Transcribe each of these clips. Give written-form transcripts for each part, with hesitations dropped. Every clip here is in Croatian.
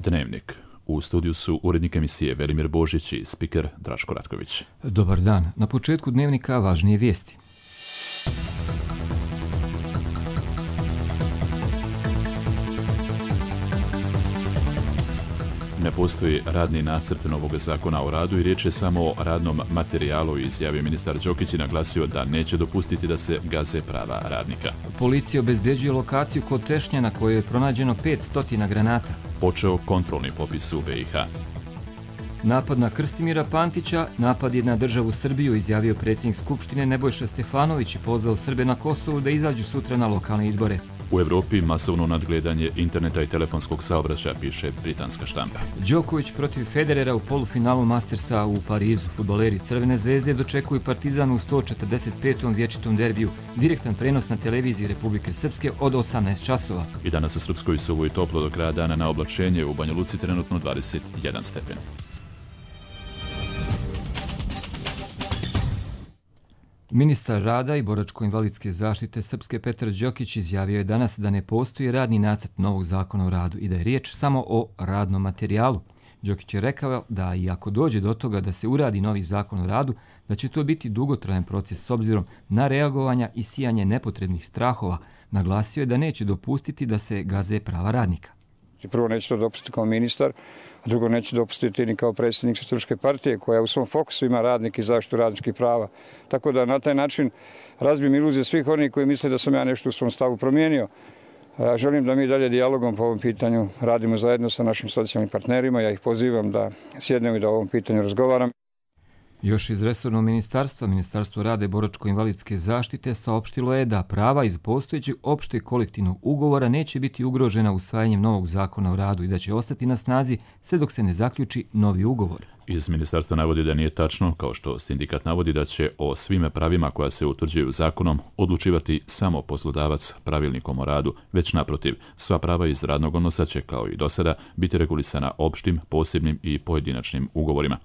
Dnevnik. U studiju su urednik emisije Velimir Božić i spiker Draško Ratković. Dobar dan. Na početku Dnevnika važnije vijesti. Ne postoji radni nacrt novog zakona o radu i riječ je samo o radnom materijalu, izjavio ministar Đokić i naglasio da neće dopustiti da se gaze prava radnika. Policija obezbeđuje lokaciju kod Tešnja na kojoj je pronađeno 500 granata. Počeo kontrolni popis u BiH. Napad na Krstimira Pantića, napad je na državu Srbiju, izjavio predsjednik Skupštine Nebojša Stefanović i pozvao Srbe na Kosovu da izađu sutra na lokalne izbore. U Evropi masovno nadgledanje interneta i telefonskog saobraćaja, piše britanska štampa. Đoković protiv Federera u polufinalu Mastersa u Parizu. Fudbaleri Crvene zvezde dočekuju Partizan u 145. vječitom derbiju. Direktan prenos na televiziji Republike Srpske od 18 časova. I danas u Srpskoj Subotici i toplo do kraja dana, na oblačenje, u Banja Luci trenutno 21 stepen. Ministar rada i boračko-invalidske zaštite Srpske Petar Đokić izjavio je danas da ne postoji radni nacrt novog zakona o radu i da je riječ samo o radnom materijalu. Đokić je rekao da i ako dođe do toga da se uradi novi zakon o radu, da će to biti dugotrajan proces s obzirom na reagovanja i sijanje nepotrebnih strahova. Naglasio je da neće dopustiti da se gaze prava radnika. Prvo, neću to dopustiti kao ministar, a drugo, neću dopustiti ni kao predsjednik Socijalističke partije koja u svom fokusu ima radnike i zaštitu radničkih prava. Tako da na taj način razbijem iluzije svih onih koji misle da sam ja nešto u svom stavu promijenio. Želim da mi dalje dijalogom po ovom pitanju radimo zajedno sa našim socijalnim partnerima. Ja ih pozivam da sjednemo i da o ovom pitanju razgovaram. Još iz resornog ministarstva, Ministarstvo rada i boračko-invalidske zaštite saopštilo je da prava iz postojećeg opšteg kolektivnog ugovora neće biti ugrožena usvajanjem novog zakona o radu i da će ostati na snazi sve dok se ne zaključi novi ugovor. Iz ministarstva navodi da nije tačno, kao što sindikat navodi, da će o svim pravima koja se utvrđuju zakonom odlučivati samo poslodavac pravilnikom o radu, već naprotiv, sva prava iz radnog odnosa će, kao i do sada, biti regulisana opštim, posebnim i pojedinačnim ugovorima.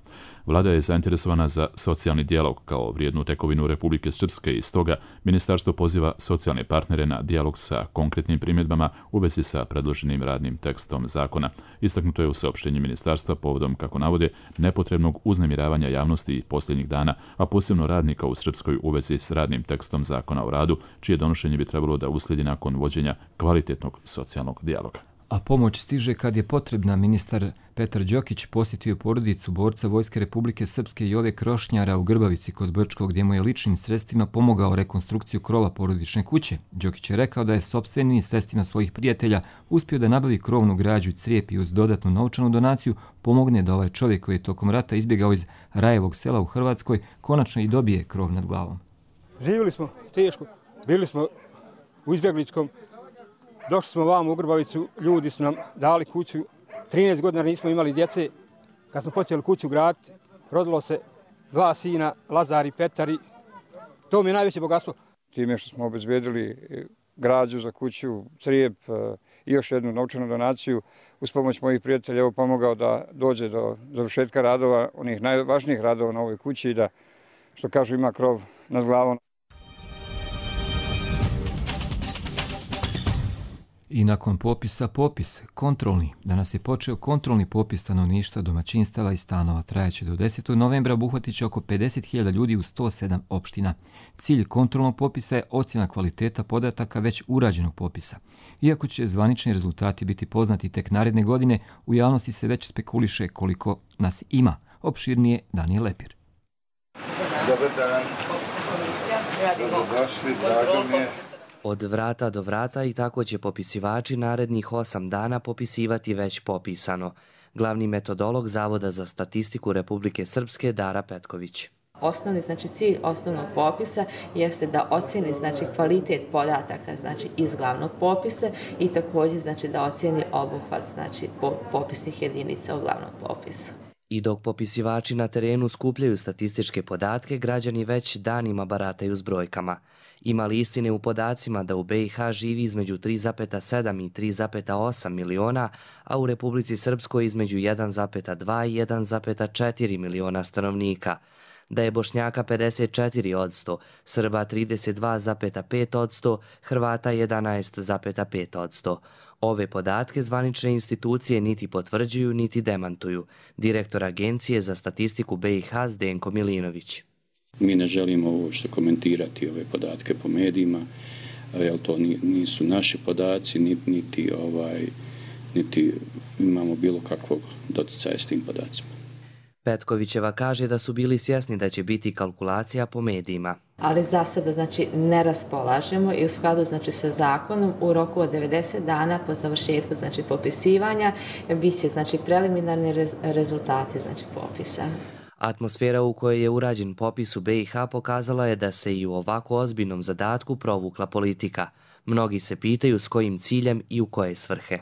Vlada je zainteresovana za socijalni dijalog kao vrijednu tekovinu Republike Srpske i stoga ministarstvo poziva socijalne partnere na dijalog sa konkretnim primjedbama u vezi sa predloženim radnim tekstom zakona. Istaknuto je u saopštenju ministarstva povodom, kako navode, nepotrebnog uznemiravanja javnosti posljednjih dana, a posebno radnika u Srpskoj u vezi s radnim tekstom zakona o radu, čije donošenje bi trebalo da uslijedi nakon vođenja kvalitetnog socijalnog dijaloga. A pomoć stiže kad je potrebna. Ministar Petar Đokić posjetio porodicu borca Vojske Republike Srpske Jove Krošnjara u Grbavici kod Brčkog, gdje mu je ličnim sredstvima pomogao rekonstrukciju krova porodične kuće. Đokić je rekao da je sopstvenim sredstvima svojih prijatelja uspio da nabavi krovnu građu i crijep i uz dodatnu novčanu donaciju pomogne da ovaj čovjek koji je tokom rata izbjegao iz Rajevog sela u Hrvatskoj konačno i dobije krov nad glavom. Živjeli smo teško, bili smo u izbjegličkom. Došli smo vam u Grbavicu, ljudi su nam dali kuću, 13 godina nismo imali djece. Kad smo počeli kuću graditi, rodilo se 2 sina, Lazar i Petar, i to mi je najveće bogatstvo. Time što smo obezbedili građu za kuću, crijep i još jednu novčanu donaciju, uz pomoć mojih prijatelja evo pomogao da dođe do završetka radova, onih najvažnijih radova na ovoj kući i da, što kažu, ima krov nad glavom. I nakon popisa popis, kontrolni. Danas je počeo kontrolni popis stanovništva, domaćinstava i stanova. Trajaće do 10. novembra, obuhvatit će oko 50.000 ljudi u 107 opština. Cilj kontrolnog popisa je ocjena kvaliteta podataka već urađenog popisa. Iako će zvanični rezultati biti poznati tek naredne godine, u javnosti se već spekuliše koliko nas ima. Opširnije Danijel Lepir. Dobar dan. Dobrodošli, drago mi je. Od vrata do vrata i tako će popisivači narednih 8 dana popisivati već popisano. Glavni metodolog Zavoda za statistiku Republike Srpske Dara Petković. Osnovni cilj osnovnog popisa jeste da ocjeni kvalitet podataka iz glavnog popisa i također da ocjeni obuhvat popisnih jedinica u glavnom popisu. I dok popisivači na terenu skupljaju statističke podatke, građani već danima barataju s brojkama. Ima li istine u podacima da u BiH živi između 3,7 i 3,8 miliona, a u Republici Srpskoj između 1,2 i 1,4 miliona stanovnika? Da je Bošnjaka 54%, Srba 32,5%, Hrvata 11,5%. Ove podatke zvanične institucije niti potvrđuju, niti demantuju. Direktor Agencije za statistiku BiH Zdenko Milinović. Mi ne želimo uopšte komentirati ove podatke po medijima, jer to nisu naši podaci, niti imamo bilo kakvog doticaja s tim podacima. Petkovićeva kaže da su bili svjesni da će biti kalkulacija po medijima. Ali za sada ne raspolažemo i u skladu sa zakonom u roku od 90 dana po završetku popisivanja bit će preliminarni rezultati popisa. Atmosfera u kojoj je urađen popis u BiH pokazala je da se i u ovako ozbiljnom zadatku provukla politika. Mnogi se pitaju s kojim ciljem i u koje svrhe.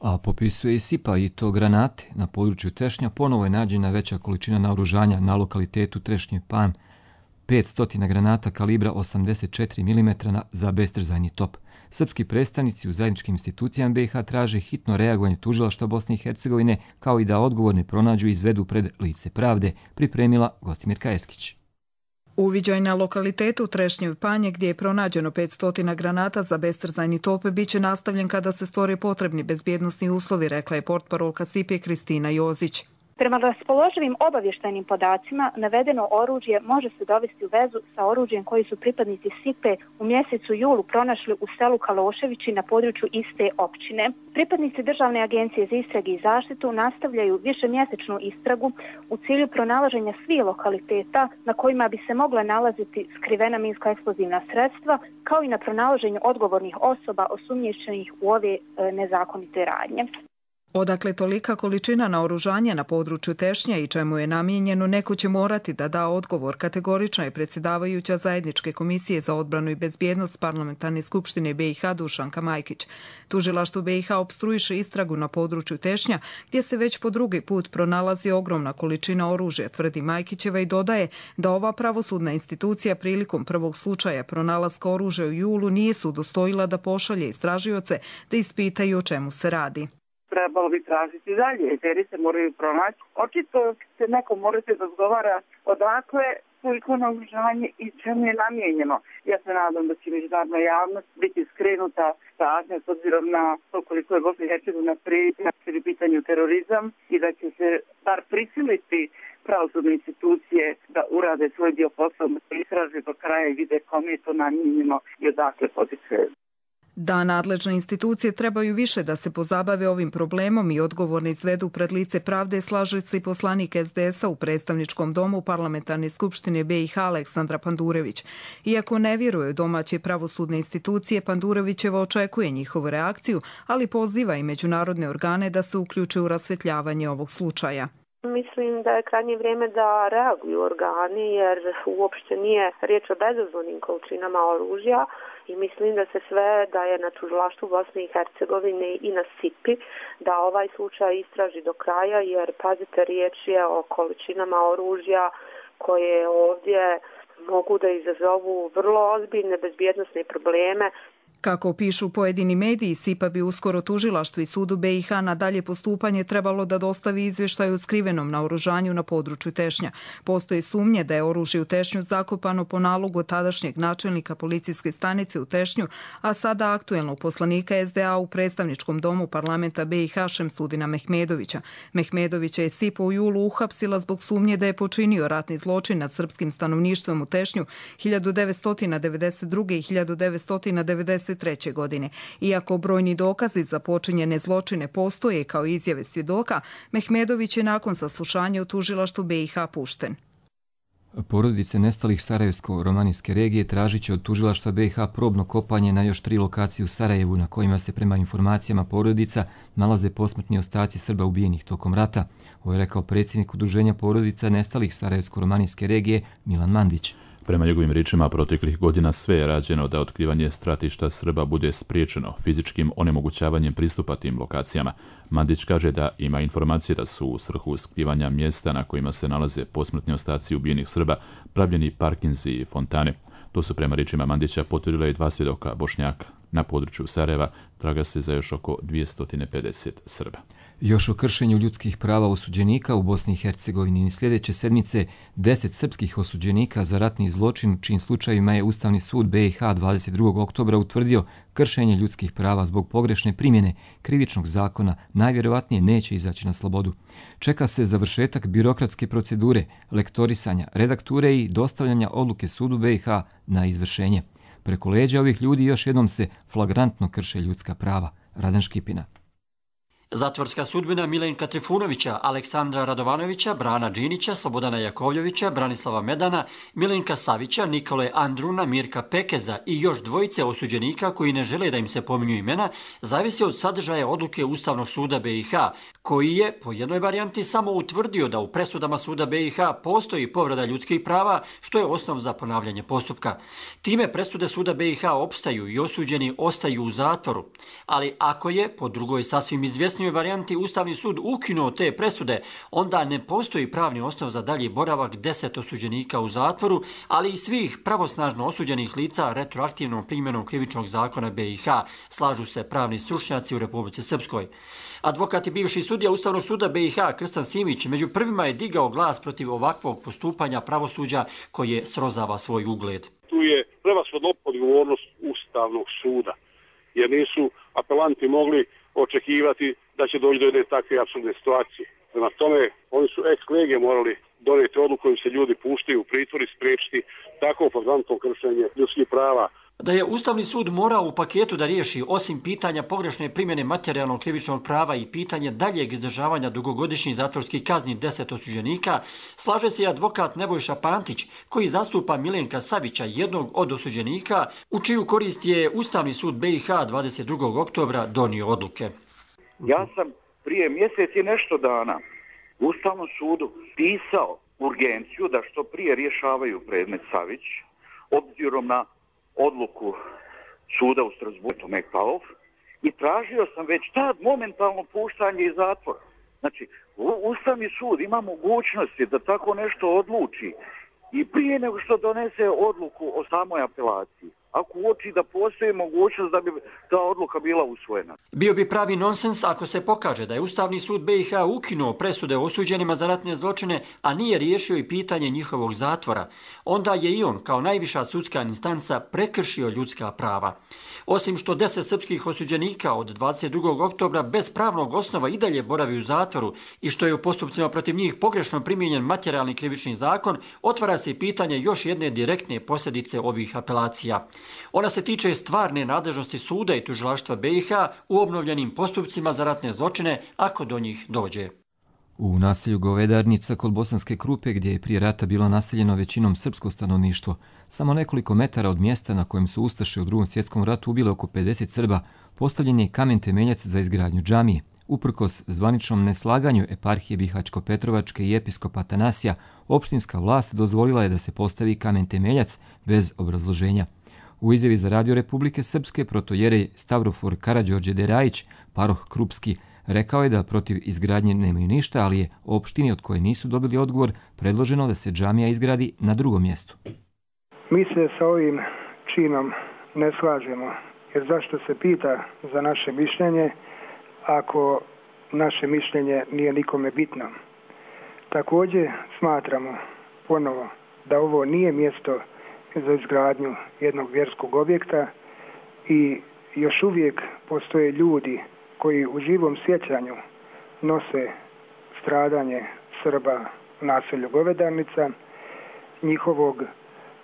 A popisuje i SIPA i to granate. Na području Tešnja ponovo je nađena veća količina naoružanja na lokalitetu Trešnji Pan, 500 granata kalibra 84 mm za bestrzajni top. Srpski predstavnici u zajedničkim institucijama BiH traže hitno reagovanje tužilaštva Bosne i Hercegovine, kao i da odgovorne pronađu i izvedu pred lice pravde, pripremila Gostimirka Eskić. Uviđaj na lokalitetu Trešnjev Panje gdje je pronađeno 500 granata za bestrzajni top bit će nastavljen kada se stvore potrebni bezbjednosni uslovi, rekla je portparolka SIPA Kristina Jozić. Prema raspoloživim obavještajnim podacima, navedeno oružje može se dovesti u vezu sa oružjem koji su pripadnici SIPA u mjesecu julu pronašli u selu Kaloševići na području iste općine. Pripadnici Državne agencije za istrage i zaštitu nastavljaju višemjesečnu istragu u cilju pronalaženja svih lokaliteta na kojima bi se mogla nalaziti skrivena minsko-eksplozivna sredstva, kao i na pronalaženju odgovornih osoba osumnjičenih u ove nezakonite radnje. Odakle tolika količina naoružanja na području Tešnja i čemu je namijenjeno, neko će morati da da odgovor, kategorična je predsjedavajuća Zajedničke komisije za odbranu i bezbjednost Parlamentarne skupštine BiH Dušanka Majkić. Tužilaštvo BiH opstruiše istragu na području Tešnja, gdje se već po drugi put pronalazi ogromna količina oružja, tvrdi Majkićeva i dodaje da ova pravosudna institucija prilikom prvog slučaja pronalaska oružja u julu nije se udostojila da pošalje istražioce da ispitaju o čemu se radi. Trebalo bi tražiti dalje, jer se moraju pronaći. Očito se neko morate razgovara odakle toliko naoružanje i čemu je namijenjeno. Ja se nadam da će međunarodna javnost biti skrenuta pažnja s obzirom na to koliko je Bosna i Hercegovina prijetnja u pitanju terorizam i da će se bar prisiliti pravosudne institucije da urade svoj dio posla, da istraže do kraja i vide kome je to namijenjeno i odakle potiče. Da nadležne institucije trebaju više da se pozabave ovim problemom i odgovorne izvedu pred lice pravde, slaže se i poslanik SDS-a u predstavničkom domu Parlamentarne skupštine BiH Aleksandra Pandurević. Iako ne vjeruje domaće pravosudne institucije, Pandurevićeva očekuje njihovu reakciju, ali poziva i međunarodne organe da se uključe u rasvjetljavanje ovog slučaja. Mislim da je krajnje vrijeme da reaguju organi, jer uopšte nije riječ o bezazlenim količinama oružja i mislim da se sve da je na tužilaštvu Bosne i Hercegovine i na SIPI da ovaj slučaj istraži do kraja, jer pazite, riječ je o količinama oružja koje ovdje mogu da izazovu vrlo ozbiljne bezbjednosne probleme. Kako pišu pojedini mediji, SIPA bi uskoro tužilaštvu i sudu BiH na dalje postupanje trebalo da dostavi izvještaj o skrivenom naoružanju na području Tešnja. Postoje sumnje da je oružje u Tešnju zakopano po nalogu tadašnjeg načelnika policijske stanice u Tešnju, a sada aktuelnog poslanika SDA u predstavničkom domu parlamenta BiH Šemsudina Mehmedovića. Mehmedovića je SIPA u julu uhapsila zbog sumnje da je počinio ratni zločin nad srpskim stanovništvom u Tešnju 1992. i 1993. godine. Iako brojni dokazi za počinjene zločine postoje kao izjave svjedoka, Mehmedović je nakon saslušanja u tužilaštvu BiH pušten. Porodice nestalih Sarajevsko-romanijske regije tražit će od tužilaštva BiH probno kopanje na još 3 lokacije u Sarajevu na kojima se prema informacijama porodica nalaze posmrtni ostaci Srba ubijenih tokom rata. Ovo je rekao predsjednik Udruženja porodica nestalih Sarajevsko-romanijske regije Milan Mandić. Prema njegovim riječima, proteklih godina sve je rađeno da otkrivanje stratišta Srba bude spriječeno fizičkim onemogućavanjem pristupa tim lokacijama. Mandić kaže da ima informacije da su u svrhu skrivanja mjesta na kojima se nalaze posmrtni ostaci ubijenih Srba pravljeni parkinzi i fontane. To su prema riječima Mandića potvrdila i 2 svjedoka Bošnjaka. Na području Sarajeva traga se za još oko 250 Srba. Još o kršenju ljudskih prava osuđenika u Bosni i Hercegovini. Sljedeće sedmice 10 srpskih osuđenika za ratni zločin, u čijim slučajevima je Ustavni sud BiH 22. oktobra utvrdio kršenje ljudskih prava zbog pogrešne primjene krivičnog zakona, najvjerovatnije neće izaći na slobodu. Čeka se završetak birokratske procedure, lektorisanja, redakture i dostavljanja odluke sudu BiH na izvršenje. Preko leđa ovih ljudi još jednom se flagrantno krše ljudska prava. Radan Škipina. Zatvorska sudbina Milenka Trifunovića, Aleksandra Radovanovića, Brana Đinića, Slobodana Jakovljevića, Branislava Medana, Milenka Savića, Nikole Andruna, Mirka Pekeza i još dvojice osuđenika koji ne žele da im se pominju imena, zavisi od sadržaja odluke Ustavnog suda BiH, koji je po jednoj varijanti samo utvrdio da u presudama suda BiH postoji povreda ljudskih prava, što je osnov za ponavljanje postupka. Time presude suda BiH opstaju i osuđeni ostaju u zatvoru. Ali ako je, po drugoj sasvim izvjesnijoj varijanti, Ustavni sud ukinuo te presude, onda ne postoji pravni osnov za dalji boravak 10 osuđenika u zatvoru, ali i svih pravosnažno osuđenih lica retroaktivnom primjenom krivičnog zakona BiH, slažu se pravni stručnjaci u Republici Srpskoj. Advokat i bivši sudija Ustavnog suda BiH Krstan Simić među prvima je digao glas protiv ovakvog postupanja pravosuđa koje srozava svoj ugled. Tu je prevashodno odgovornost Ustavnog suda, jer nisu apelanti mogli očekivati da će doći do jedne takve apsurdne situacije. Prema tome, oni su ex lege morali donijeti odluku kojim se ljudi puštaju u pritvor i spriječiti tako flagrantno kršenje ljudskih prava. Da je Ustavni sud morao u paketu da riješi, osim pitanja pogrešne primjene materijalnog krivičnog prava i pitanje daljeg izdržavanja dugogodišnjih zatvorskih kazni 10 osuđenika, slaže se i advokat Nebojša Pantić, koji zastupa Milenka Savića, jednog od osuđenika, u čiju korist je Ustavni sud BiH 22. oktobra donio odluke. Ja sam prije mjesec i nešto dana u Ustavnom sudu pisao urgenciju da što prije rješavaju predmet Savić, obzirom na odluku suda u Strasbourgu Mekpaov, i tražio sam već tad momentalno puštanje iz zatvora. Znači, Ustavni sud ima mogućnosti da tako nešto odluči i prije nego što donese odluku o samoj apelaciji, ako uoči da postoji mogućnost da bi ta odluka bila usvojena. Bio bi pravi nonsens ako se pokaže da je Ustavni sud BiH ukinuo presude osuđenima za ratne zločine, a nije riješio i pitanje njihovog zatvora. Onda je i on, kao najviša sudska instanca, prekršio ljudska prava. Osim što 10 srpskih osuđenika od 22. oktobra bez pravnog osnova i dalje boravi u zatvoru i što je u postupcima protiv njih pogrešno primijenjen materijalni krivični zakon, otvara se i pitanje još jedne direktne posljedice ovih apelacija. Ona se tiče stvarne nadležnosti suda i tužilaštva BiH u obnovljenim postupcima za ratne zločine, ako do njih dođe. U naselju Govedarnica kod Bosanske Krupe, gdje je prije rata bilo naseljeno većinom srpsko stanovništvo, samo nekoliko metara od mjesta na kojem su ustaše u Drugom svjetskom ratu ubile oko 50 Srba, postavljen je kamen temeljac za izgradnju džamije. Uprkos zvaničnom neslaganju eparhije Bihaćko-Petrovačke i episkopa Atanasija, opštinska vlast dozvolila je da se postavi kamen temeljac bez obrazloženja. U izjavi za Radio Republike Srpske protojerej Stavrofor Karađorđe Derajić, paroh Krupski, rekao je da protiv izgradnje nemaju ništa, ali je opštini od koje nisu dobili odgovor predloženo da se džamija izgradi na drugom mjestu. Mi se sa ovim činom ne slažemo, jer zašto se pita za naše mišljenje ako naše mišljenje nije nikome bitno. Također smatramo ponovo da ovo nije mjesto za izgradnju jednog vjerskog objekta i još uvijek postoje ljudi koji u živom sjećanju nose stradanje Srba u naselju Govedarnica, njihovog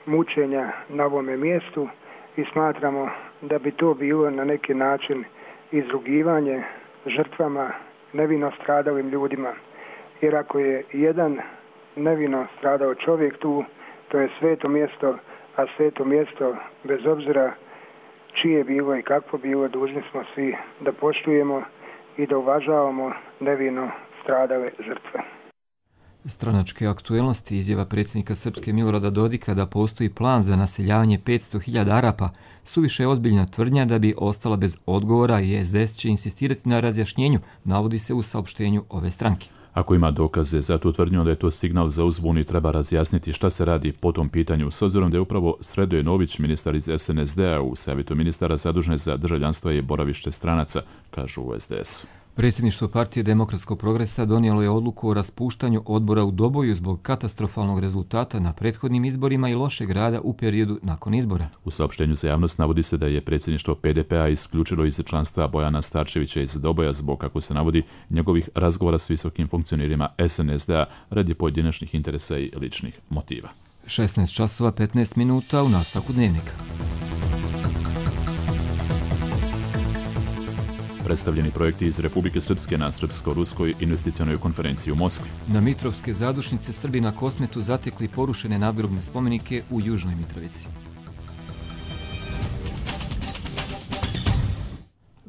mučenja na ovome mjestu, i smatramo da bi to bilo na neki način izrugivanje žrtvama, nevino stradalim ljudima. Jer ako je jedan nevino stradao čovjek tu, to je sveto mjesto, a sveto mjesto, bez obzira čije bilo i kakvo bilo, dužni smo svi da poštujemo i da uvažavamo nevino stradale žrtve. Stranačke aktuelnosti, izjava predsjednika Srpske Milorada Dodika da postoji plan za naseljavanje 500.000 Arapa, suviše je ozbiljna tvrdnja da bi ostala bez odgovora i SDS će insistirati na razjašnjenju, navodi se u saopštenju ove stranke. Ako ima dokaze za tu tvrdnju, onda je to signal za uzbunu i treba razjasniti šta se radi po tom pitanju, s obzirom da je upravo Sredoje Nović, ministar iz SNSD-a u savjetu ministara zadužen za državljanstva i boravište stranaca, kažu u SDS. Predsjedništvo Partije demokratskog progresa donijelo je odluku o raspuštanju odbora u Doboju zbog katastrofalnog rezultata na prethodnim izborima i lošeg rada u periodu nakon izbora. U saopštenju za javnost navodi se da je predsjedništvo PDP-a isključilo iz članstva Bojana Starčevića iz Doboja zbog, kako se navodi, njegovih razgovora s visokim funkcionirima SNSD-a radi pojedinačnih interesa i ličnih motiva. 16 časova 15 minuta u nastavku dnevnika. Predstavljeni projekti iz Republike Srpske na Srpsko-ruskoj investicionoj konferenciji u Moskvi. Na Mitrovske zadušnice Srbi na Kosmetu zatekli porušene nadgrobne spomenike u Južnoj Mitrovici.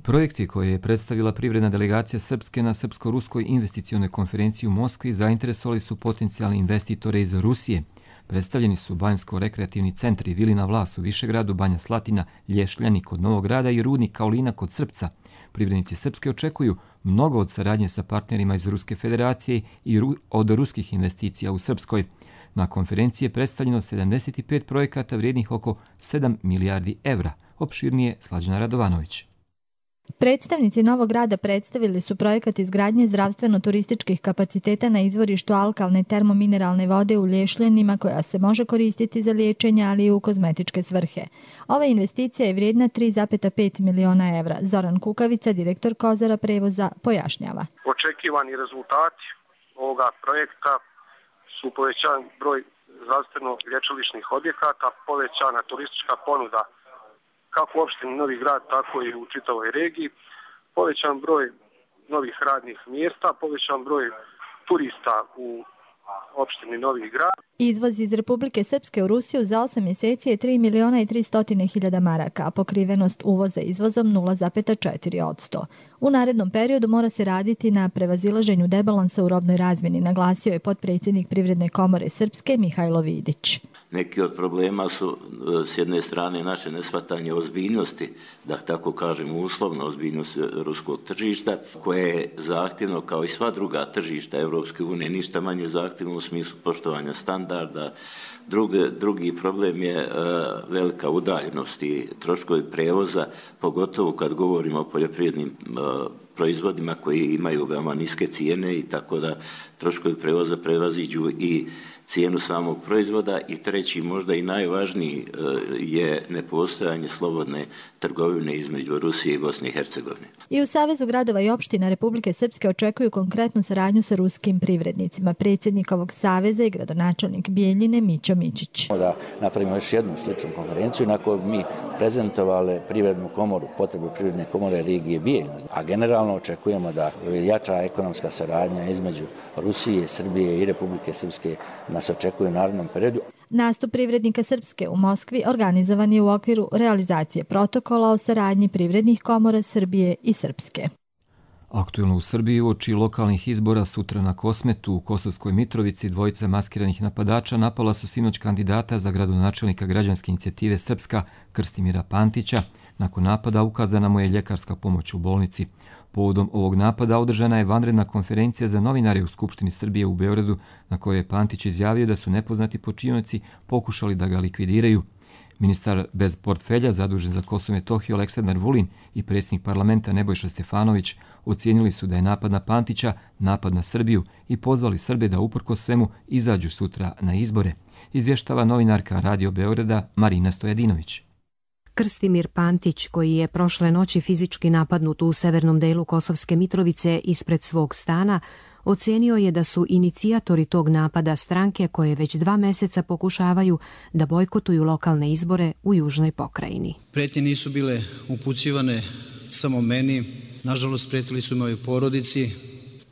Projekti koje je predstavila privredna delegacija Srpske na Srpsko-ruskoj investicionoj konferenciji u Moskvi zainteresovali su potencijalni investitore iz Rusije. Predstavljeni su Banjsko-rekreativni centri Vilina Vlas u Višegradu, Banja Slatina, Lješljani kod Novog Grada i Rudnik Kaolina kod Srpca. Privrednici Srpske očekuju mnogo od saradnje sa partnerima iz Ruske federacije i od ruskih investicija u Srpskoj. Na konferenciji je predstavljeno 75 projekata vrijednih oko 7 milijardi evra. Opširnije Slađana Radovanović. Predstavnici Novog Grada predstavili su projekat izgradnje zdravstveno-turističkih kapaciteta na izvorištu alkalne termomineralne vode u Lješljanima koja se može koristiti za liječenje, ali i u kozmetičke svrhe. Ova investicija je vrijedna 3,5 miliona evra. Zoran Kukavica, direktor Kozara prevoza, pojašnjava. Očekivani rezultati ovoga projekta su povećan broj zdravstveno-lječilišnih objekata, povećana turistička ponuda kako u opštini Novi Grad, tako i u čitavoj regiji, povećan broj novih radnih mjesta, povećan broj turista u opštini Novi Grad. Izvoz iz Republike Srpske u Rusiju za 8 mjeseci je 3 miliona i 300 hiljada maraka, a pokrivenost uvoza izvozom 0,4%. U narednom periodu mora se raditi na prevazilaženju debalansa u robnoj razmjeni, naglasio je potpredsjednik Privredne komore Srpske Mihajlo Vidić. Neki od problema su s jedne strane naše neshvatanje ozbiljnosti, da tako kažem uslovno ozbiljnost ruskog tržišta, koje je zahtjevno kao i sva druga tržišta Europske unije, ništa manje zahtjevno u smislu poštovanja standarda. Drugi problem je velika udaljenost i troškovi prevoza, pogotovo kad govorimo o poljoprivrednim proizvodima koji imaju veoma niske cijene i tako da troškovi prevoza prevaziđu i cijenu samog proizvoda. I treći, možda i najvažniji, je nepostojanje slobodne trgovine između Rusije i Bosne i Hercegovine. I u Savezu gradova i opština Republike Srpske očekuju konkretnu saradnju sa ruskim privrednicima. Predsjednik ovog saveza i gradonačelnik Bijeljine Mićo Mićić. Da napravimo još jednu sličnu konferenciju na kojoj mi prezentovali privrednu komoru, potrebu privredne komore regije Bijeljina. A generalno očekujemo da jača ekonomska saradnja između Rusije, Srbije i Republike Srpske nas očekuje u narednom periodu. Nastup privrednika Srpske u Moskvi organizovan je u okviru realizacije protokola o saradnji privrednih komora Srbije i Srpske. Aktuelno u Srbiji uoči lokalnih izbora sutra na Kosmetu u Kosovskoj Mitrovici dvojica maskiranih napadača napala su sinoć kandidata za gradonačelnika građanske inicijative Srpska Krstimira Pantića. Nakon napada ukazana mu je ljekarska pomoć u bolnici. Povodom ovog napada održana je vanredna konferencija za novinare u Skupštini Srbije u Beogradu, na kojoj je Pantić izjavio da su nepoznati počinioci pokušali da ga likvidiraju. Ministar bez portfelja zadužen za Kosovo i Metohiju Aleksandar Vulin i predsjednik parlamenta Nebojša Stefanović ocijenili su da je napad na Pantića napad na Srbiju i pozvali Srbe da uprkos svemu izađu sutra na izbore. Izvještava novinarka Radio Beograda Marina Stojadinović. Krstimir Pantić, koji je prošle noći fizički napadnut u severnom delu Kosovske Mitrovice ispred svog stana, ocenio je da su inicijatori tog napada stranke koje već 2 mjeseca pokušavaju da bojkotuju lokalne izbore u južnoj pokrajini. Pretnje nisu bile upućivane samo meni, nažalost prijetili su i mojoj porodici,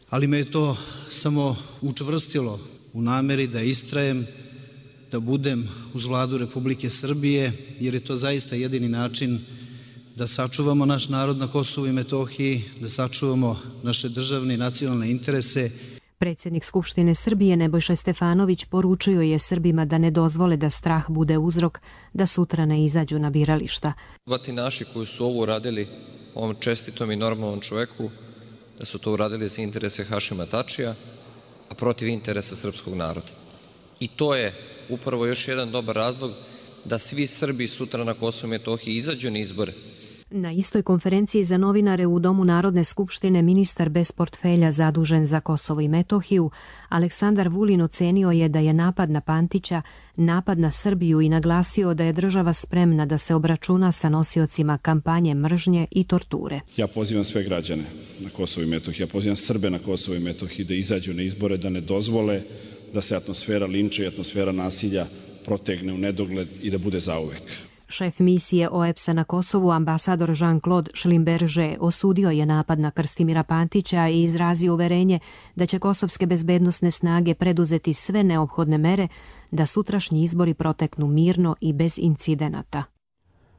ali me je to samo učvrstilo u namjeri da istrajem, da budem uz vladu Republike Srbije, jer je to zaista jedini način da sačuvamo naš narod na Kosovu i Metohiji, da sačuvamo naše državne i nacionalne interese. Predsjednik Skupštine Srbije Nebojša Stefanović poručio je Srbima da ne dozvole da strah bude uzrok da sutra ne izađu na birališta. Batinaši koji su ovo uradili ovom čestitom i normalnom čoveku, da su to uradili za interese Hašima Tačija, a protiv interesa srpskog naroda. I to je upravo još jedan dobar razlog da svi Srbi sutra na Kosovu i Metohiji izađu na izbore. Na istoj konferenciji za novinare u Domu Narodne skupštine ministar bez portfelja zadužen za Kosovo i Metohiju, Aleksandar Vulin, ocenio je da je napad na Pantića napad na Srbiju i naglasio da je država spremna da se obračuna sa nosiocima kampanje mržnje i torture. Ja pozivam sve građane na Kosovo i Metohiju, ja pozivam Srbe na Kosovo i Metohiju da izađu na izbore, da ne dozvole da se atmosfera linča i atmosfera nasilja protegne u nedogled i da bude zauvek. Šef misije OEBS-a na Kosovu, ambasador Jean-Claude Schlimberger, osudio je napad na Krstimira Pantića i izrazio uverenje da će kosovske bezbednosne snage preduzeti sve neophodne mere da sutrašnji izbori proteknu mirno i bez incidenata.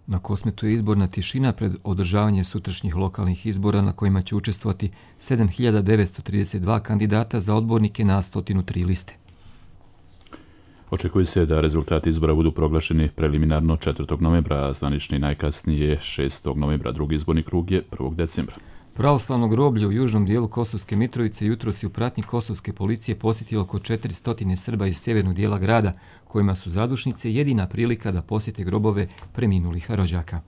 Na Kosmetu je izborna tišina pred održavanje sutrašnjih lokalnih izbora na kojima će učestvovati 7.932 kandidata za odbornike na 103 liste. Očekuje se da rezultati izbora budu proglašeni preliminarno 4. novembra, a zvanični najkasnije 6. novembra. Drugi izborni krug je 1. decembra. Pravoslavno groblje u južnom dijelu Kosovske Mitrovice jutros je u pratnji kosovske policije posjetilo oko 400 Srba iz sjevernog dijela grada, kojima su zadušnice jedina prilika da posjete grobove preminulih rođaka.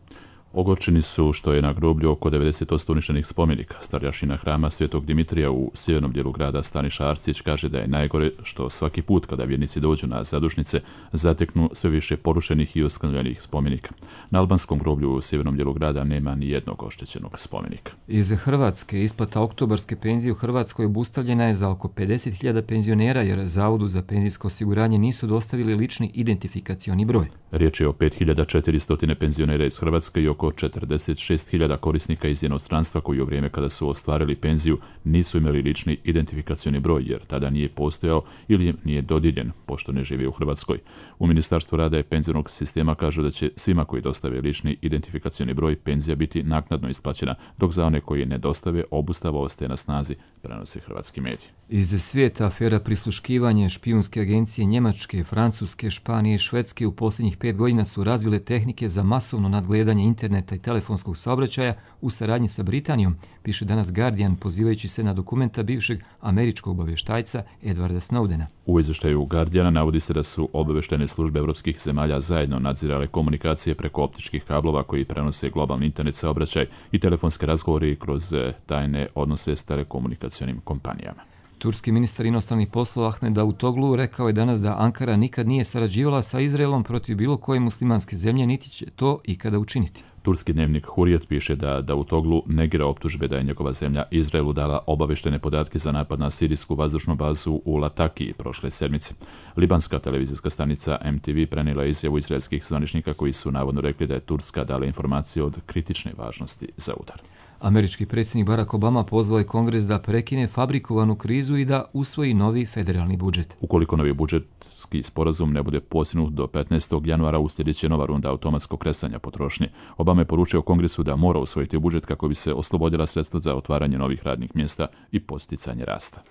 Ogorčeni su što je na groblju oko 90% uništenih spomenika. Starješina hrama Svetog Dimitrija u sjevernom dijelu grada Staniša Arcić kaže da je najgore što svaki put kada vjernici dođu na zadušnice zateknu sve više porušenih i oskrnavljenih spomenika. Na albanskom groblju u sjevernom dijelu grada nema ni jednog oštećenog spomenika. Iz Hrvatske isplata oktobarske penzije u Hrvatskoj obustavljena je za oko 50.000 penzionera jer Zavodu za penzijsko osiguranje nisu dostavili lični identifikacioni broj. Riječ je o 5.400 penzionera iz Hrvatske i oko 46.000 korisnika iz inostranstva koji u vrijeme kada su ostvarili penziju nisu imali lični identifikacioni broj jer tada nije postojao ili im nije dodijeljen, pošto ne žive u Hrvatskoj. U Ministarstvu rada i penzionog sistema kažu da će svima koji dostave lični identifikacioni broj penzija biti naknadno isplaćena, dok za one koji ne dostave obustava ostaje na snazi, prenose hrvatski mediji. Iz svijeta afera prisluškivanje špijunske agencije Njemačke, Francuske, Španije i Švedske u posljednjih 5 godina su razvile tehnike za masovno nadgledanje interneta i telefonskog saobraćaja u saradnji sa Britanijom, piše danas Guardian pozivajući se na dokumenta bivšeg američkog obavještajca Edwarda Snowdena. U izvještaju Guardiana navodi se da su obavještajne službe evropskih zemalja zajedno nadzirale komunikacije preko optičkih kablova koji prenose globalni internet saobraćaj i telefonske razgovore kroz tajne odnose s telekomunikacionim kompanijama. Turski ministar inostranih poslova Ahmed Davutoglu rekao je danas da Ankara nikad nije sarađivala sa Izraelom protiv bilo koje muslimanske zemlje, niti će to ikada učiniti. Turski dnevnik Hurriyet piše da Davutoglu negira optužbe da je njegova zemlja Izraelu dala obavještene podatke za napad na sirijsku vazdušnu bazu u Latakiji prošle sedmice. Libanska televizijska stanica MTV prenijela je izjavu izraelskih zvaničnika koji su navodno rekli da je Turska dala informacije od kritične važnosti za udar. Američki predsjednik Barack Obama pozvao je Kongres da prekine fabrikovanu krizu i da usvoji novi federalni budžet. Ukoliko novi budžetski sporazum ne bude postignut do 15. januara, uslijedit će nova runda automatskog kresanja potrošnje. Obama je poručio Kongresu da mora usvojiti budžet kako bi se oslobodila sredstva za otvaranje novih radnih mjesta i podsticanje rasta.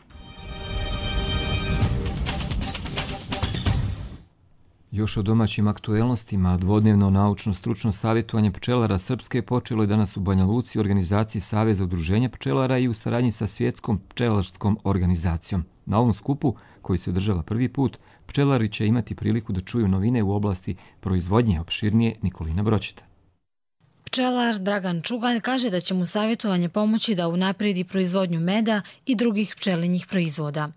Još o domaćim aktuelnostima, dvodnevno naučno-stručno savjetovanje pčelara Srpske počelo je danas u Banja Luci u organizaciji Saveza udruženja pčelara i u saradnji sa Svjetskom pčelarskom organizacijom. Na ovom skupu, koji se održava prvi put, pčelari će imati priliku da čuju novine u oblasti proizvodnje, opširnije Nikolina Bročeta. Pčelar Dragan Čugalj kaže da će mu savjetovanje pomoći da unapredi proizvodnju meda i drugih pčelinjih proizvoda.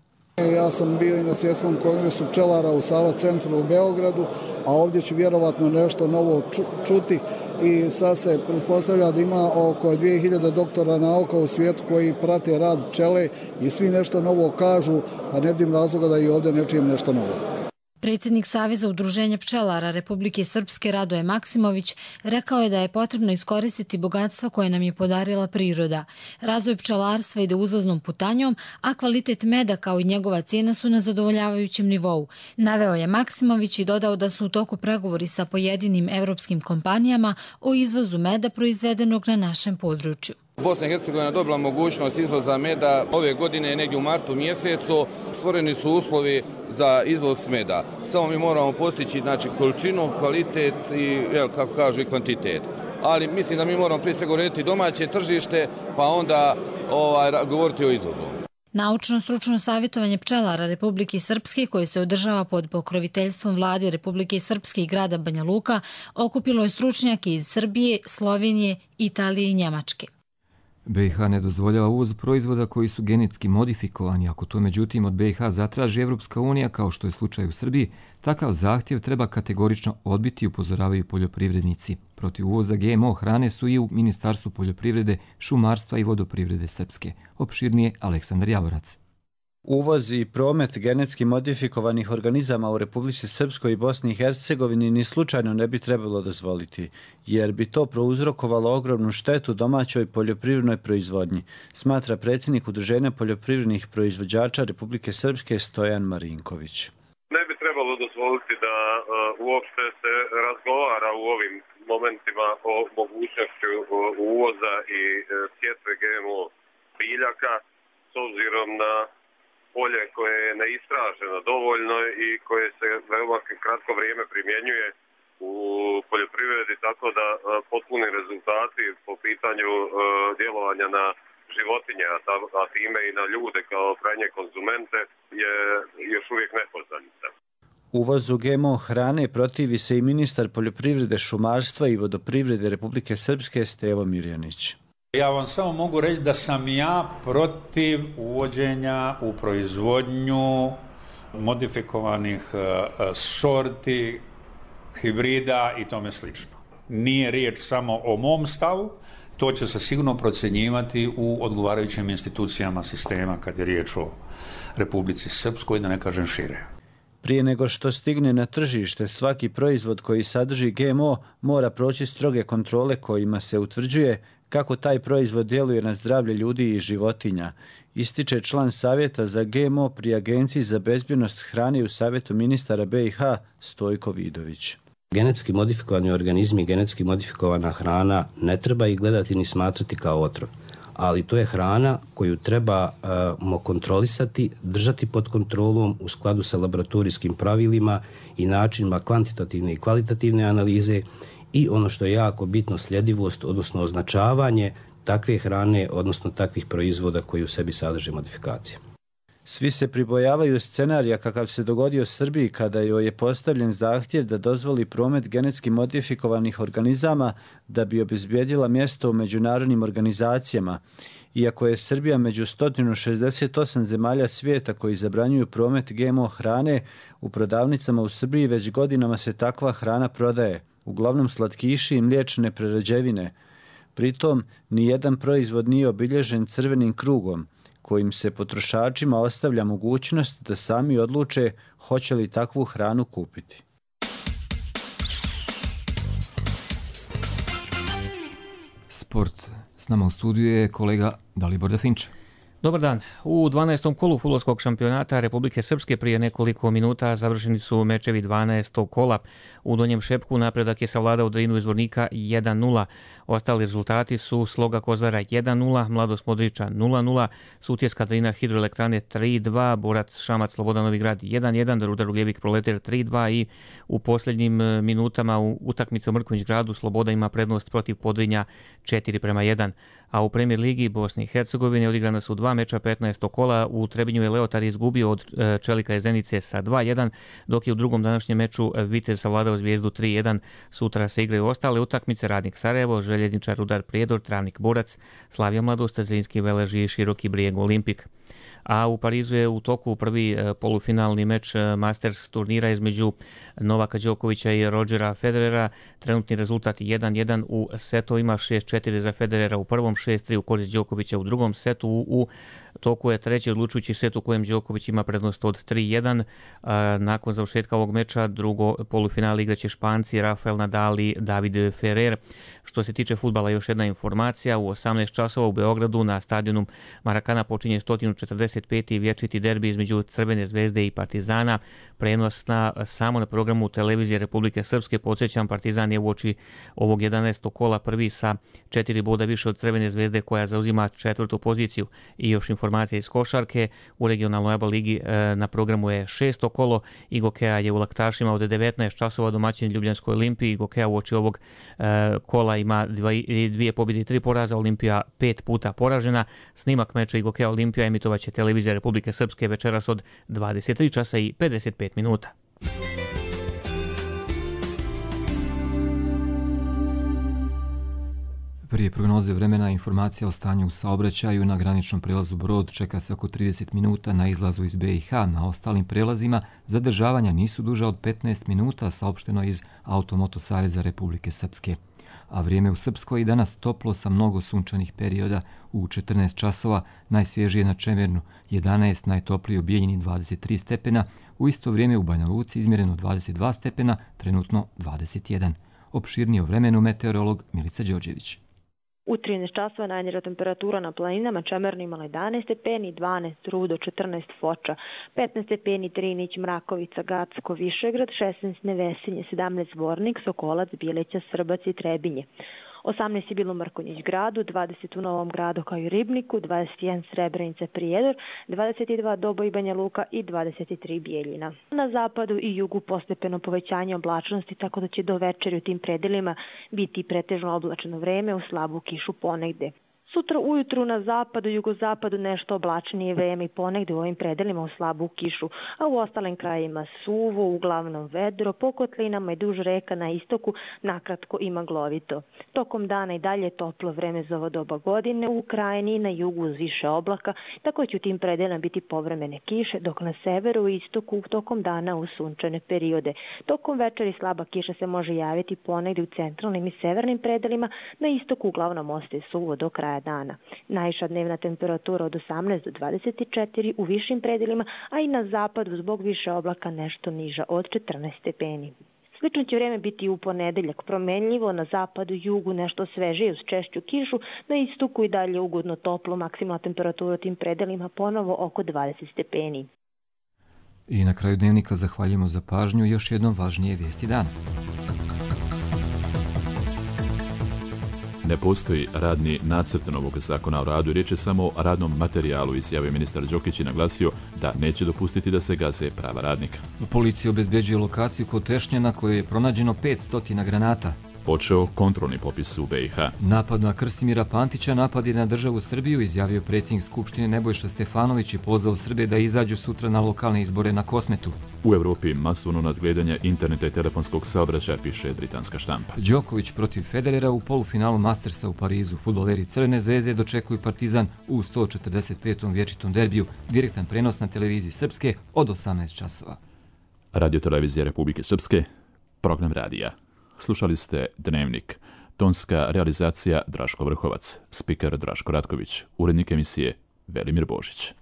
Ja sam bio i na Svjetskom kongresu pčelara u Sava centru u Beogradu, a ovdje ću vjerovatno nešto novo čuti i sad se pretpostavlja da ima oko 2000 doktora nauka u svijetu koji prate rad pčele i svi nešto novo kažu, a ne vidim razloga da i ovdje ne čujem nešto novo. Predsjednik Saveza udruženja pčelara Republike Srpske Radoje Maksimović rekao je da je potrebno iskoristiti bogatstva koje nam je podarila priroda. Razvoj pčelarstva ide uzlaznom putanjom, a kvalitet meda kao i njegova cijena su na zadovoljavajućem nivou. Naveo je Maksimović i dodao da su u toku pregovori sa pojedinim evropskim kompanijama o izvozu meda proizvedenog na našem području. Bosna i Hercegovina dobila mogućnost izvoza meda ove godine negdje u martu mjesecu. Stvoreni su uslovi za izvoz meda. Samo mi moramo postići količinu, kvalitet i, kako kažu, i kvantitet. Ali mislim da mi moramo prije svega urediti domaće tržište, pa onda govoriti o izvozu. Naučno-stručno savjetovanje pčelara Republike Srpske, koje se održava pod pokroviteljstvom vlade Republike Srpske i grada Banja Luka, okupilo je stručnjake iz Srbije, Slovenije, Italije i Njemačke. BiH ne dozvoljava uvoz proizvoda koji su genetski modifikovani. Ako to međutim od BiH zatraži Evropska unija, kao što je slučaj u Srbiji, takav zahtjev treba kategorično odbiti, upozoravaju poljoprivrednici. Protiv uvoza GMO hrane su i u Ministarstvu poljoprivrede, šumarstva i vodoprivrede Srpske. Opširnije Aleksandar Javorac. Uvoz i promet genetski modifikovanih organizama u Republici Srpskoj i Bosni i Hercegovini ni slučajno ne bi trebalo dozvoliti, jer bi to prouzrokovalo ogromnu štetu domaćoj poljoprivrednoj proizvodnji, smatra predsjednik Udruženja poljoprivrednih proizvođača Republike Srpske Stojan Marinković. Ne bi trebalo dozvoliti da uopšte se razgovara u ovim momentima o mogućnošću uvoza i sjetve GMO biljaka, s obzirom na polje koje je neistraženo dovoljno i koje se veoma kratko vrijeme primjenjuje u poljoprivredi, tako da potpuni rezultati po pitanju djelovanja na životinje, a time i na ljude kao krajnje konzumente, je još uvijek nepoznanica. Uvozu GMO hrane protivi se i ministar poljoprivrede, šumarstva i vodoprivrede Republike Srpske Stevo Mirjanić. Ja vam samo mogu reći da sam ja protiv uvođenja u proizvodnju modifikovanih sorti, hibrida i tome slično. Nije riječ samo o mom stavu, to će se sigurno procjenjivati u odgovarajućim institucijama sistema kad je riječ o Republici Srpskoj, da ne kažem šire. Prije nego što stigne na tržište, svaki proizvod koji sadrži GMO mora proći stroge kontrole kojima se utvrđuje kako taj proizvod djeluje na zdravlje ljudi i životinja, ističe član Savjeta za GMO pri Agenciji za bezbjednost hrane u Savjetu ministara BiH Stojko Vidović. Genetski modifikovani organizmi, genetski modifikovana hrana ne treba ih gledati ni smatrati kao otrov, ali to je hrana koju trebamo kontrolisati, držati pod kontrolom u skladu sa laboratorijskim pravilima i načinima kvantitativne i kvalitativne analize i ono što je jako bitno, sljedivost, odnosno označavanje takve hrane, odnosno takvih proizvoda koji u sebi sadrže modifikacije. Svi se pribojavaju scenarija kakav se dogodio Srbiji kada joj je postavljen zahtjev da dozvoli promet genetski modifikovanih organizama da bi obezbijedila mjesto u međunarodnim organizacijama. Iako je Srbija među 168 zemalja svijeta koji zabranjuju promet GMO hrane, u prodavnicama u Srbiji već godinama se takva hrana prodaje, uglavnom slatkiši i mliječne prerađevine. Pritom, nijedan proizvod nije obilježen crvenim krugom, kojim se potrošačima ostavlja mogućnost da sami odluče hoće li takvu hranu kupiti. Sport. S nama u studiju je kolega Dalibor Dafinča. Dobar dan. U 12. kolu fudbalskog šampionata Republike Srpske prije nekoliko minuta završeni su mečevi 12. kola. U Donjem Šepku napredak je savladao Drinu iz Zvornika 1-0. Ostali rezultati su Sloga Kozara 1-0, Mladost Modriča 0-0, Sutjeska Drina Hidroelektrane 3-2, Borac Šamac Slobodan Novi Grad 1-1, Rudar Ugljevik Proleter 3-2 i u posljednjim minutama u utakmici u Mrkonjić Gradu Sloboda ima prednost protiv Podrinja 4-1. A u Premier ligi Bosne i Hercegovine odigrana su 2 meča 15. kola. U Trebinju je Leotar izgubio od Čelika iz Zenice sa 2-1, dok je u drugom današnjem meču Vitez savladao Zvijezdu 3-1. Sutra se igraju ostale utakmice: Radnik Sarajevo, Željezničar Rudar Prijedor, Travnik Borac, Slavija Mladost, Zrinski Veleži i Široki Brijeg Olimpik. A u Parizu je u toku prvi polufinalni meč Masters turnira između Novaka Đokovića i Rodgera Federera. Trenutni rezultat 1-1 u setovima, 6-4 za Federera u prvom, 6-3 u korist Đokovića u drugom setu. U toku je treći odlučujući set u kojem Đoković ima prednost od 3-1. Nakon završetka ovog meča drugo polufinale igraće Španci Rafael Nadal i David Ferrer. Što se tiče fudbala, još jedna informacija: u 18 časova u Beogradu na stadionu Marakana počinje 145. vječiti derbi između Crvene zvezde i Partizana. Prenos samo na programu televizije Republike Srpske. Podsjećam, Partizan je uoči ovog 11. kola prvi sa 4 boda više od Crvene zvezde koja zauzima 4. poziciju. I još informacija iz košarke: u regionalnoj ABA ligi na programu je 6. kolo. Igokea je u Laktašima od 19 časova domaćin Ljubljanskoj Olimpiji. Igokea uoči ovog kola ima 2 pobjede i 3 poraza, Olimpija 5 puta poražena. Snimak meča Igokea Olimpija emitovaće televizija televizija Republike Srpske večeras od 23 časa i 55 minuta. Prije prognoze vremena informacija o stanju u saobraćaju na graničnom prelazu Brod čeka se oko 30 minuta na izlazu iz BiH. Na ostalim prelazima zadržavanja nisu duža od 15 minuta, saopšteno iz Automoto Saveza Republike Srpske. A vrijeme u Srpskoj i danas toplo sa mnogo sunčanih perioda u 14 časova, najsvježije na Čemernu 11, najtoplije u Bijeljini 23 stepena, u isto vrijeme u Banja Luci izmjereno 22 stepena, trenutno 21. Opširnije o vremenu meteorolog Milica Đorđević. U 13 časova najniža temperatura na planinama Čemernu imala 11 stepeni, 12 Rudo, 14 Foča, 15 stepeni Trinić, Mrakovica, Gacko, Višegrad, 16 Nevesinje, 17 Zvornik, Sokolac, Bijeljća, Srbac i Trebinje. 18 je bilo u Mrkonjić gradu, 20 u Novom gradu kao i Ribniku, 21 Srebrenica, Prijedor, 22 Doboj, Banja Luka i 23 Bijeljina. Na zapadu i jugu postepeno povećanje oblačnosti, tako da će do večeri u tim predelima biti pretežno oblačeno vreme u slabu kišu ponegde. Sutra ujutru na zapadu i jugozapadu nešto oblačnije vreme i ponegde u ovim predelima u slabu kišu, a u ostalim krajima suvo, uglavnom vedro, po kotlinama i duž reka na istoku nakratko i maglovito. Tokom dana i dalje toplo vreme za ovo doba godine u krajini i na jugu uz više oblaka, tako će u tim predelima biti povremene kiše, dok na severu i istoku tokom dana u sunčane periode. Tokom večeri slaba kiša se može javiti ponegde u centralnim i severnim predelima, na istoku uglavnom ostaje suvo do kraja dana. Najviša dnevna temperatura od 18 do 24 u višim predelima, a i na zapadu zbog više oblaka nešto niža od 14 stepeni. Slično će vrijeme biti u ponedeljak, promenljivo, na zapadu i jugu nešto svežije uz češću kišu, na istoku i dalje ugodno toplo, maksimalna temperatura u tim predelima ponovo oko 20 stepeni. I na kraju dnevnika zahvaljujemo za pažnju i još jednom važnije vijesti dana. Ne postoji radni nacrt novog zakona o radu, riječ je samo o radnom materijalu, izjavio ministar Đokić i naglasio da neće dopustiti da se gaze prava radnika. Policija obezbeđuje lokaciju kod Tešnja na kojoj je pronađeno 500 granata. Počeo kontrolni popis u BiH. Napad na Krstimira Pantića napad je na državu Srbiju, izjavio predsjednik Skupštine Nebojša Stefanović i pozvao Srbe da izađu sutra na lokalne izbore na Kosmetu. U Evropi masovno nadgledanje interneta i telefonskog saobraćaja, piše britanska štampa. Đoković protiv Federera u polufinalu Mastersa u Parizu. Fudbaleri Crvene zvezde dočekuju Partizan u 145. vječitom derbiju. Direktan prenos na televiziji Srpske od 18 časova. Radio-televizija Republike Srpske, program radija. Slušali ste Dnevnik. Tonska realizacija Draško Vrhovac, spiker Draško Ratković, urednik emisije Velimir Božić.